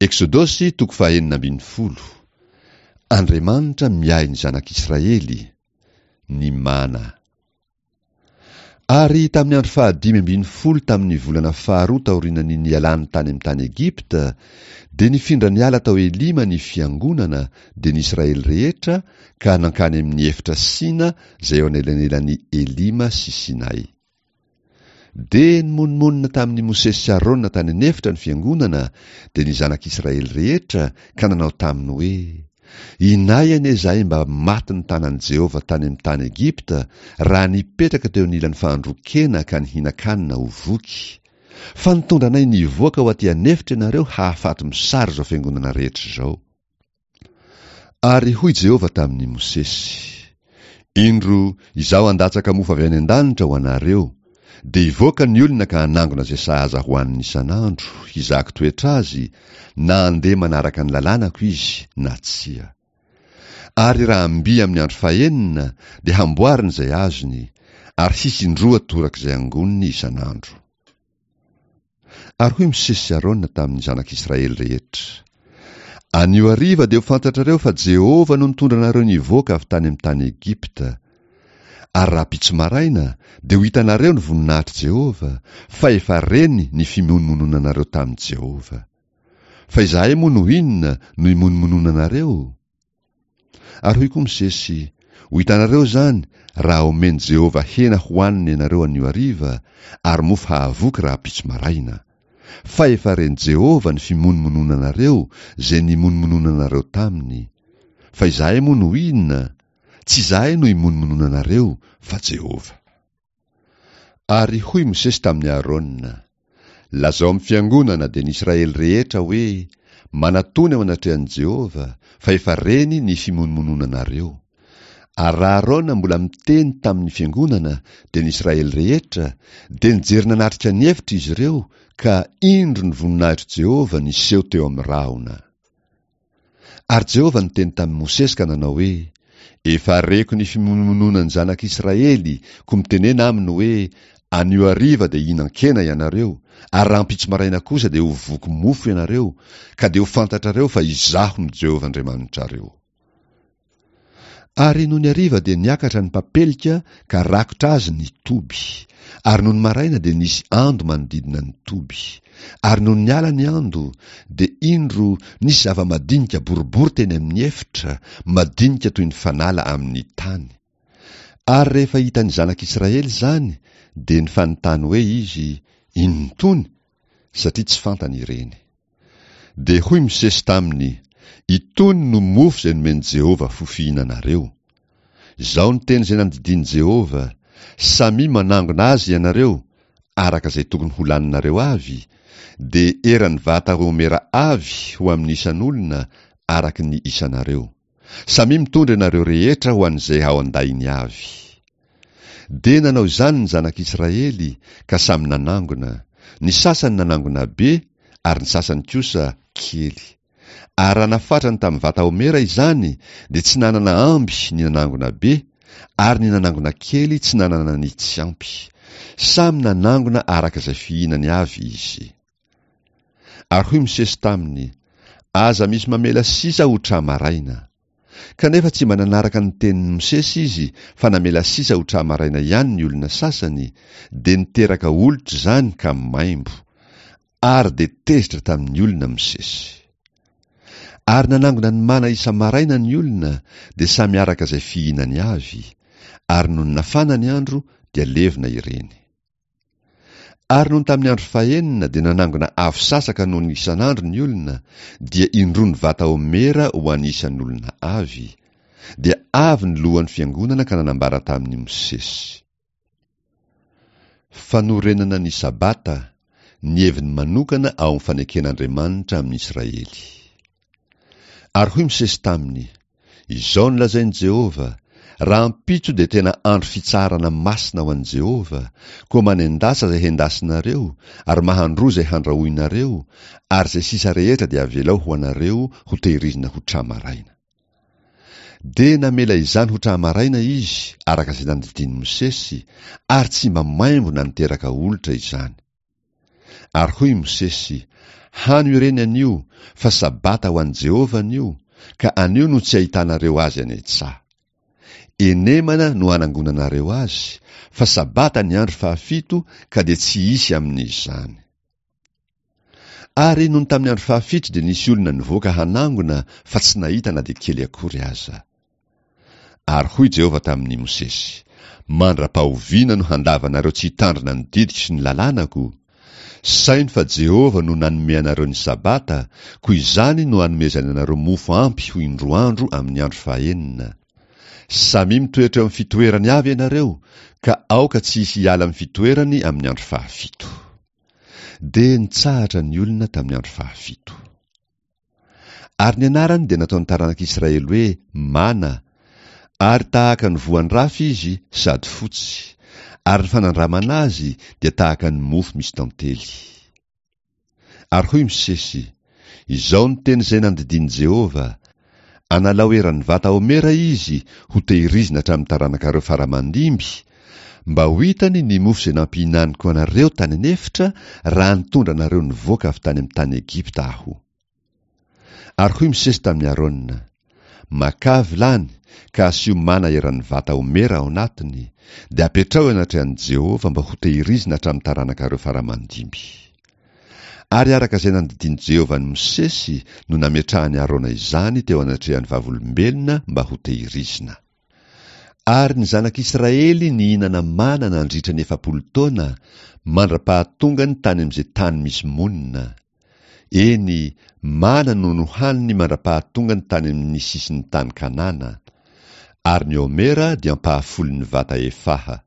Eksodosy toko fahenina ambin'ny folo. Andriamanitra miahy ny zanak'Israely. Ny mana. Ary tamin'ny andro fahadimy ambin'ny folo tamin'ny volana faharoa taorian'ny nialany tany amin'ny tany Egypta, dia nifindra niala tao Elima ny fiangonana, dia ny Israely rehetra, ka nankany amin'ny efitra Sina izay eo anelanelan'i Elima sy Sinay. Dia nimonomonona tamin'i Mosesy sy Arona tany an'efitra ny fiangonana, dia ny zanak'Israely rehetra, ka nanao taminy hoe, Inay anie izahay mba matin'ny tanan'i Jehovah tany amin'ny tany Egypta, raha nipetraka teo anilan'ny fahandroan-kena ka nihinan-kanina ho voky. Fa nitondra anay nivoaka ho aty an'efitra ianareo hahafaty mosary izao fiangonana rehetra izao. Ary hoy Jehovah tamin'i Mosesy, Indro, Izaho handatsaka mofo avy any an-danitra ho anareo, dia hivoaka ny olona ka hanangona izay sahaza hohaniny isan'andro, hizahako toetra azy, na handeha manaraka ny lalànako izy na tsia. Ary raha mby amin'ny andro fahenina, dia hamboariny izay azony, ary hisy indroa toraka izay angoniny isan'andro. Ary hoy Mosesy sy Arona tamin'ny zanak'Israely rehetra, Anio hariva dia ho fantatrareo fa Jehovah no nitondra anareo nivoaka avy tany amin'ny tany Egypta. Ary rahampitso maraina dia ho hitanareo ny voninahitr'i Jehovah, fa efa reny ny fimonomononanareo tamin'i Jehovah. Fa izahay moa no inona no imonomononanareo? Ary hoy koa Mosesy, Ho hitanareo izany raha omen'i Jehovah hena hohanina ianareo anio hariva, ary mofo hahavoky rahampitso maraina. Fa efa ren'i Jehovah ny fimonomononanareo izay nimonomononanareo taminy. Fa izahay moa no inona? Tsy izahay no imonomononanareo, fa Jehovah. Ary hoy Mosesy tamin'i Aarona, Lazao amin'ny fiangonana, dia ny Israely rehetra, hoe, 'Manatòna eo anatrehan'i Jehovah, fa efa reny ny fimonomononanareo. Ary raha Aarona mbola miteny tamin'ny fiangonana, dia ny Israely rehetra, dia nijery nanatrika ny efitra izy ireo, ka indro ny voninahitr'i Jehovah niseho teo amin'ny rahona. Ary Jehovah niteny tamin'i Mosesy ka nanao hoe, Efa reko ny fimonomononan'ny zanak'Israely, koa mitenena aminy hoe, Anio hariva dia hihinan-kena ianareo, ary rahampitso maraina kosa dia ho voky mofo ianareo, ka dia ho fantatrareo fa Izaho no Jehovah Andriamanitrareo. Ary nony hariva dia niakatra ny papelika ka rakotra azy ny toby, ary nony maraina dia nisy ando manodidina ny toby. Ary nony niala ny ando, dia indro nisy zava-madinika boribory teny amin'ny efitra, madinika toy ny fanala amin'ny tany. Ary rehefa hitan'ny zanak'Israely izany, dia nifanontany hoe izy, Inona itony? Satria tsy fantany ireny. Dia hoy Mosesy taminy, Itony no mofo izay nomen'i Jehovah ho fihinanareo. Izao ny teny izay nandidian'i Jehovah, Samia manangona azy ianareo, araka izay tokony ho laninareo avy, dia eran'ny vata homera avy ho amin'ny isan'olona araka ny isanareo. Samia mitondra ianareo rehetra ho an'izay ao an-dainy avy. Dia nanao izany ny zanak'Israely, ka samy nanangona, ny sasany nanangona be, ary ny sasany kosa kely. Ary raha nafatrany tamin'ny vata homera izany, dia tsy nanana amby ny nanangona be, ary ny nanangona kely tsy nanana ny tsy ampy. Samy nanangona araka izay fihinany avy izy. Ary hoy Mosesy taminy, Aza misy mamela sisa ho tra-maraina. Kanefa tsy mba nanaraka ny tenin'i Mosesy izy fa namela sisa ho tra-maraina ihany ny olona sasany, dia niteraka olitra izany ka maimbo. Ary dia tezitra tamin'ny olona Mosesy. Ary nanangona ny mana isa-maraina ny olona, dia samy araka izay fihinany avy, ary nony nafana ny andro dia levona ireny. Ary nony tamin'ny andro fahenina dia nanangona avo sasaka noho ny isan'andro ny olona, dia indroa ny vata homera ho an'ny isan'olona avy. Dia avy ny lohan'ny fiangonana ka nanambara tamin'i Mosesy. Fanorenana ny Sabata, ny heviny manokana ao amin'ny faneken'Andriamanitra amin'i Israely. Ary hoy Mosesy taminy, Izao no lazain'i Jehovah, Rahampitso dia tena andro fitsaharana masina ho an'i Jehovah, koa manendasa izay hendasinareo, ary mahandroa izay handrahoinareo, ary izay sisa rehetra dia avelao ho anareo hotehirizina ho tra-maraina. Dia namela izany ho tra-maraina izy, araka izay nandidian'i Mosesy, ary tsy mba maimbo na niteraka olitra izany. Ary hoy i Mosesy, Hano ireny anio, fa Sabata ho an'i Jehovah anio, ka anio no tsy ahitanareo azy any an-tsaha. Enemana no hanangonanareo azy, fa Sabata ny andro fahafito ka dia tsy hisy amin'izany. Ary nony tamin'ny andro fahafito dia nisy olona nivoaka hanangona fa tsy nahita na dia kely akory aza. Ary hoy Jehovah tamin'i Mosesy, Mandra-pahoviana no handavanareo tsy hitandrina ny didiko sy ny lalànako? Saino fa Jehovah no nanome anareo ny Sabata, koa izany no anomezany anareo mofo ampy ho indroa andro amin'ny andro fahenina. Samia mitoetra eo amin'ny fitoerany avy ianareo, ka aoka tsy hisy hiala amin'ny fitoerany amin'ny andro fahafito. Dia nitsahatra ny olona tamin'ny andro fahafito. Ary ny anarany dia nataon'ny taranak'Israely hoe Mana, ary tahaka ny voan-drafy izy sady fotsy, ary ny fanandramana azy dia tahaka ny mofo misy tantely. Ary hoy Mosesy, Izao ny teny izay nandidian'i Jehovah, Analao eran'ny vata homera izy hotehirizina hatramin'ny taranakareo fara aman-dimby, mba ho hitany ny mofo izay nampihinaniko anareo tany an'efitra raha nitondra anareo nivoaka avy tany amin'ny tany Egypta Aho. Ary hoy Mosesy tamin'i Arona, Makà vilany ka asio mana eran'ny vata homera ao anatiny, dia apetraho eo anatrehan'i Jehovah mba hotehirizina hatramin'ny taranakareo fara aman-dimby. Ary araka izay nandidian'i Jehovah an'i Mosesy no nametrahan'i Arona izany teo anatrehan'ny vavolombelona mba hotehirizina. Ary ny zanak'Israely nihinana mana nandritra ny 40 taona, mandra-pahatongany tany amin'izay tany misy monina. Eny, mana no nohaniny mandra-pahatongany tany amin'ny sisin'ny tany Kanana. Ary ny omera dia ampahafolon'ny vata efaha.